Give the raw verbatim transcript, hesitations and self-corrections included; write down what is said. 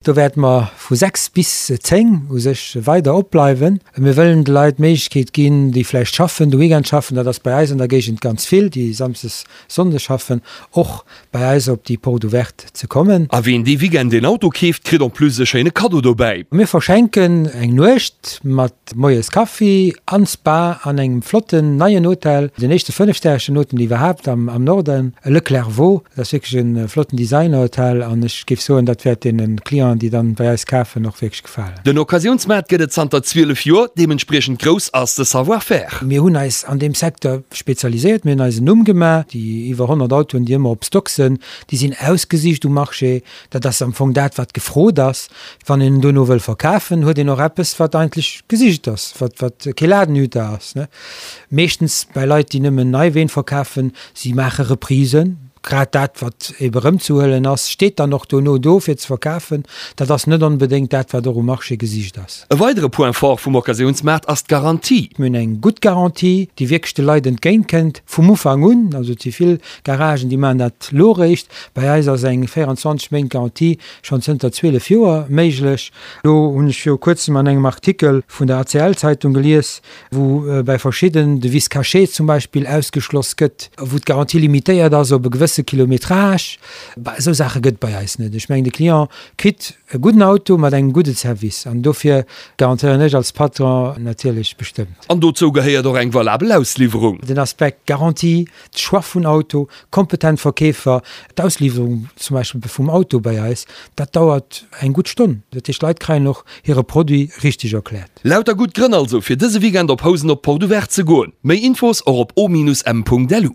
Do wäerte mer vu sechs bis zéng u sech weider opbleiwen. Mir wëllen de Leit d'Méiglechkeet ginn, déi vläicht schaffen, de Weekend schaffen, dat ass bei eis an der Géigend ganz vill, déi samsdes, sonndes schaffen, och bei eis op déi Porte ouverte ze kommen. A wien dee Weekend een Auto keeft, kritt en plus e schéine Kaddo dobäi. Mir verschenken eng Nuecht mat Moies Kaffi an Spa an engem flotten neien Hotel, den éischte fënnefstäreschen Hotel iwwerhaapt am Norden, Le Clairvaux. Dat ass wierklech e flotten Designerhotel an ech géif soen, dat wäert deene Clienten, déi dann bei eis kafen, och wierklech gefalen. Den Occasiounsmaart gëtt et zanter zwielef Joer, deementspriechend grouss ass de Savoir-faire. Mir hunn eis an deem Secteur spezialiséiert, mir hunn eis en Numm gemaach. Déi iwwer honnert Autoen, déi ëmmer op Stock sënn, déi sinn ausgesicht um Marché. Dat ass am Fong dat, wat gefrot ass. Wann een en dono wëll verkafen, huet een och eppes, wat eigentlech gesicht ass, wat, wat kee Ladenhüter ass. Meeschtens bei Leit, déi nëmmen nei Ween verkafen, si maache Reprisen. Grad dat, wat ebe erëmzehuelen ass, steet dann och dono do fir ze verkafen. Dat ass net onbedéngt dat, wat och um Marché gesicht ass. E weidere Point fort vum Occasiounsmaart ass d'Garantie. Mir hunn eng gutt Garantie, déi wierklech de Leit entgéint kënnt vum Ufank un. Also et si vill Garagen, déi maachen dat elo eréischt. Bei eis ass eng véierundzwanzeg Méint Garantie schonn zënter zwielef Joer méiglech. Elo hunn ech viru kuerzem an engem Artikel vun der A C L Zeitung gelies, wou bei verschidden de Vice caché zum Beispill ausgeschloss gëtt, wou d'Garantie limitéiert ass op e gewësse Kilometrage. Bah, esou Saache gëtt et bei eis net. Ech mengen, de Client kritt e gudden Auto mat engem gudde Service an dofir garantéieren ech als Patron natierlech bestëmmt. An dozou gehéiert och eng valabel Ausliwwerung. Den Aspekt Garantie, de Choix vun Auto, kompetent Verkeefer, d'Ausliwwerung zum Beispill vum Auto bei eis, dat dauert eng gutt Stonn. Dat heescht, d'Leit kréien och hire Produit richteg erkläert. Lauter gutt Grënn also, fir dëse Weekend op Housen op d'Porte Ouverte ze goen. Méi Infos och op o-m.lu.